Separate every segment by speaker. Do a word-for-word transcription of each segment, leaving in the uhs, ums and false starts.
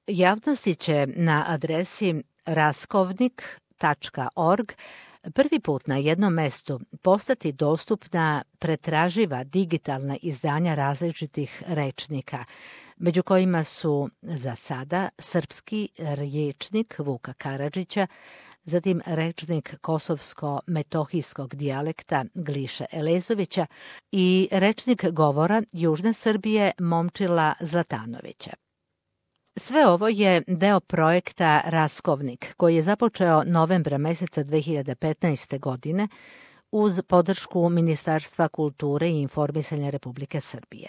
Speaker 1: Javnosti će na adresi raskovnik tačka org prvi put na jednom mestu postati dostupna pretraživa digitalna izdanja različitih rečnika, među kojima su za sada srpski rječnik Vuka Karadžića, zatim rečnik kosovsko-metohijskog dijalekta Gliše Elezovića i rečnik govora Južne Srbije Momčila Zlatanovića. Sve ovo je deo projekta Raskovnik, koji je započeo novembra meseca dve hiljade petnaeste. godine uz podršku Ministarstva kulture i informisanja Republike Srbije.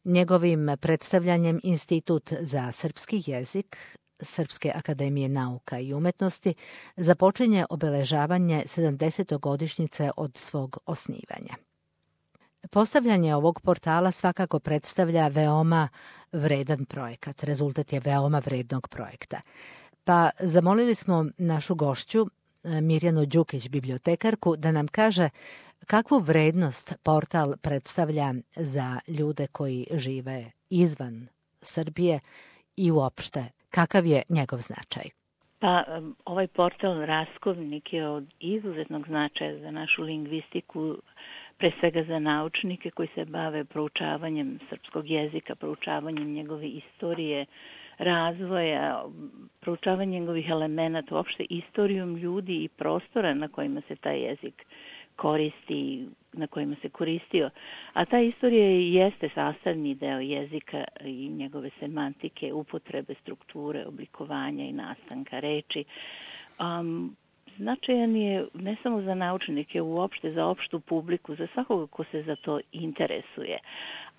Speaker 1: Njegovim predstavljanjem Institut za srpski jezik Srpske akademije nauka i umetnosti započinje obeležavanje sedamdesetogodišnjice od svog osnivanja. Postavljanje ovog portala svakako predstavlja veoma vredan projekat. Rezultat je veoma vrednog projekta. Pa zamolili smo našu gošću, Mirjanu Đukić, bibliotekarku, da nam kaže kakvu vrednost portal predstavlja za ljude koji žive izvan Srbije i uopšte kakav je njegov značaj.
Speaker 2: Pa ovaj portal Raskovnik je od izuzetnog značaja za našu lingvistiku, pre svega za naučnike koji se bave proučavanjem srpskog jezika, proučavanjem njegove istorije, razvoja, proučavanjem njegovih elemenata, uopšte istorijom ljudi i prostora na kojima se taj jezik koristi, na kojima se koristio. A ta istorija jeste sastavni deo jezika i njegove semantike, upotrebe, strukture, oblikovanja i nastanka reči. Um, Značajan je ne samo za naučnike, uopšte za opštu publiku, za svakoga ko se za to interesuje.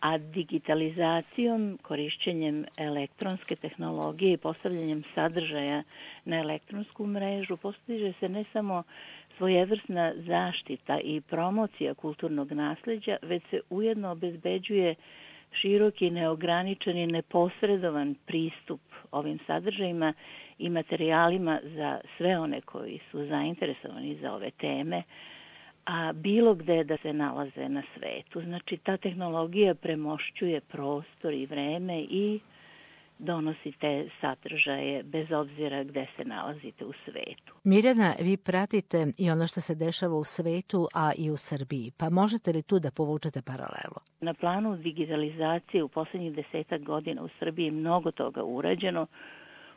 Speaker 2: A digitalizacijom, korišćenjem elektronske tehnologije i postavljanjem sadržaja na elektronsku mrežu postiže se ne samo svojevrsna zaštita i promocija kulturnog nasleđa, već se ujedno obezbeđuje široki, neograničeni, neposredovan pristup ovim sadržajima i materijalima za sve one koji su zainteresovani za ove teme, a bilo gde da se nalaze na svetu. Znači, ta tehnologija premošćuje prostor i vreme i donosi te sadržaje bez obzira gde se nalazite u svetu.
Speaker 1: Mirjana, vi pratite i ono što se dešava u svetu, a i u Srbiji, pa možete li tu da povučete paralelu?
Speaker 2: Na planu digitalizacije u poslednjih desetak godina u Srbiji je mnogo toga urađeno,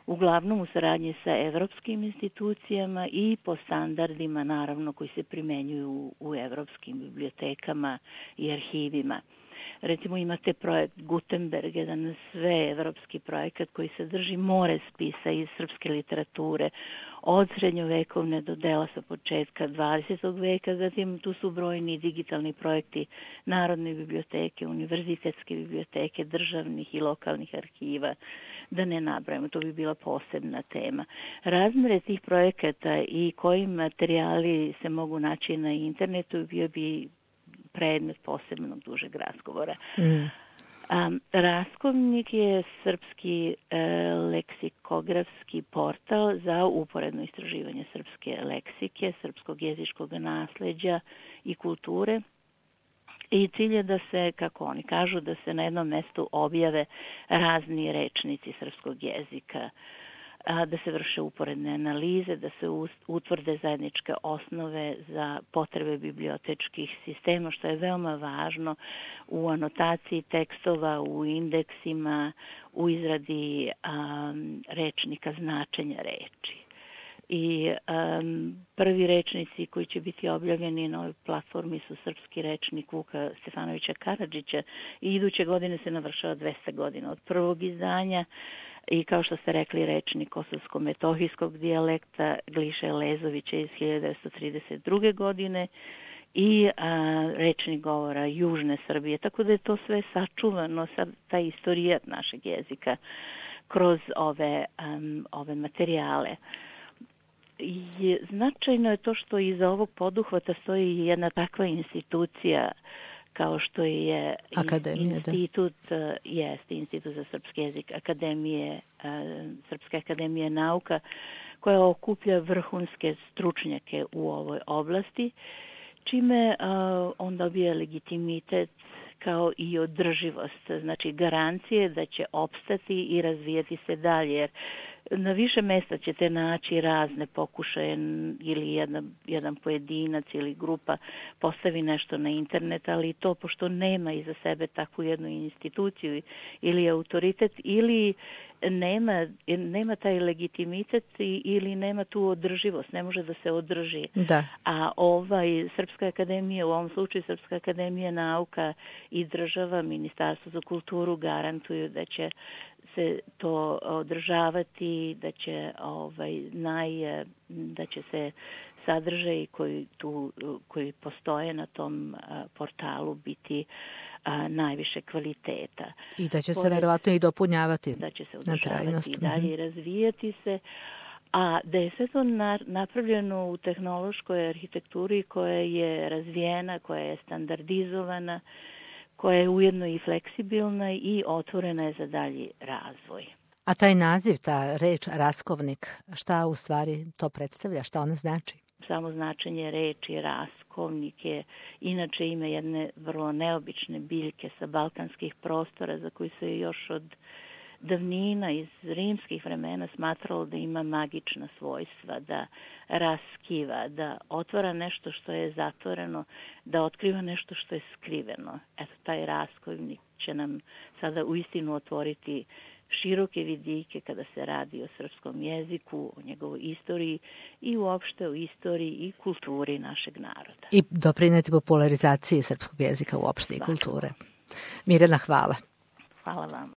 Speaker 2: uglavnom u saradnji sa evropskim institucijama i po standardima, naravno, koji se primenjuju u evropskim bibliotekama i arhivima. Recimo imate projekt Gutenberg, jedan sve evropski projekat koji sadrži more spisa iz srpske literature, od srednjovekovne do dela sa početka dvadesetog veka, zatim tu su brojni digitalni projekti Narodne biblioteke, univerzitetske biblioteke, državnih i lokalnih arhiva, da ne nabrajamo, to bi bila posebna tema. Razmere tih projekata i koji materijali se mogu naći na internetu bio bi predmet posebnog dužeg razgovora. Mm. Um, Raskovnik je srpski e, leksikografski portal za uporedno istraživanje srpske leksike, srpskog jezičkog nasleđa i kulture. I cilj je da se, kako oni kažu, da se na jednom mestu objave razni rečnici srpskog jezika, da se vrše uporedne analize, da se utvrde zajedničke osnove za potrebe bibliotečkih sistema, što je veoma važno u anotaciji tekstova, u indeksima, u izradi um, rečnika, značenja reči. I um, prvi rečnici koji će biti objavljeni na ovoj platformi su srpski rečnik Vuka Stefanovića Karadžića i iduće godine se navršava dvesta godina od prvog izdanja. I kao što ste rekli, rečnik kosovsko-metohijskog dijalekta Gliše Elezovića iz hiljadu devetsto trideset druge. godine i a, rečnik govora Južne Srbije. Tako da je to sve sačuvano, sad, taj istorijat našeg jezika kroz ove, um, ove materijale. I značajno je to što iza ovog poduhvata stoji jedna takva institucija kao što je
Speaker 1: Akademija,
Speaker 2: institut, da. Jest, Institut za srpski jezik Akademije, Srpske akademije nauka, koja okuplja vrhunske stručnjake u ovoj oblasti, čime on dobija legitimitet kao i održivost, znači garancije da će opstati i razvijati se dalje, jer na više mesta ćete naći razne pokušaje ili jedan, jedan pojedinac ili grupa postavi nešto na internet, ali to pošto nema iza sebe takvu jednu instituciju ili autoritet ili nema, nema taj legitimitet ili nema tu održivost, ne može da se održi.
Speaker 1: Da.
Speaker 2: A ovaj Srpska akademija, u ovom slučaju Srpska akademija nauka i država, Ministarstvo za kulturu garantuju da će se to održavati, da će ovaj naj da će se sadržaji koji tu koji postoje na tom portalu biti a, najviše kvaliteta.
Speaker 1: I da će se verovatno i dopunjavati,
Speaker 2: da će se
Speaker 1: održavati
Speaker 2: i dalje i razvijati se. A da je sve to napravljeno u tehnološkoj arhitekturi koja je razvijena, koja je standardizovana, koja je ujedno i fleksibilna i otvorena je za dalji razvoj.
Speaker 1: A taj naziv, ta reč raskovnik, šta u stvari to predstavlja, šta ona znači?
Speaker 2: Samo značenje reči raskovnik je inače ime jedne vrlo neobične biljke sa balkanskih prostora za koju se još od davnina iz rimskih vremena smatralo da ima magična svojstva, da raskiva, da otvara nešto što je zatvoreno, da otkriva nešto što je skriveno. Eto, taj raskovnik će nam sada uistinu otvoriti široke vidike kada se radi o srpskom jeziku, o njegovoj istoriji i uopšte o istoriji i kulturi našeg naroda.
Speaker 1: I doprineti popularizaciji srpskog jezika uopšte i kulture. Mirjana, hvala.
Speaker 2: Hvala vam.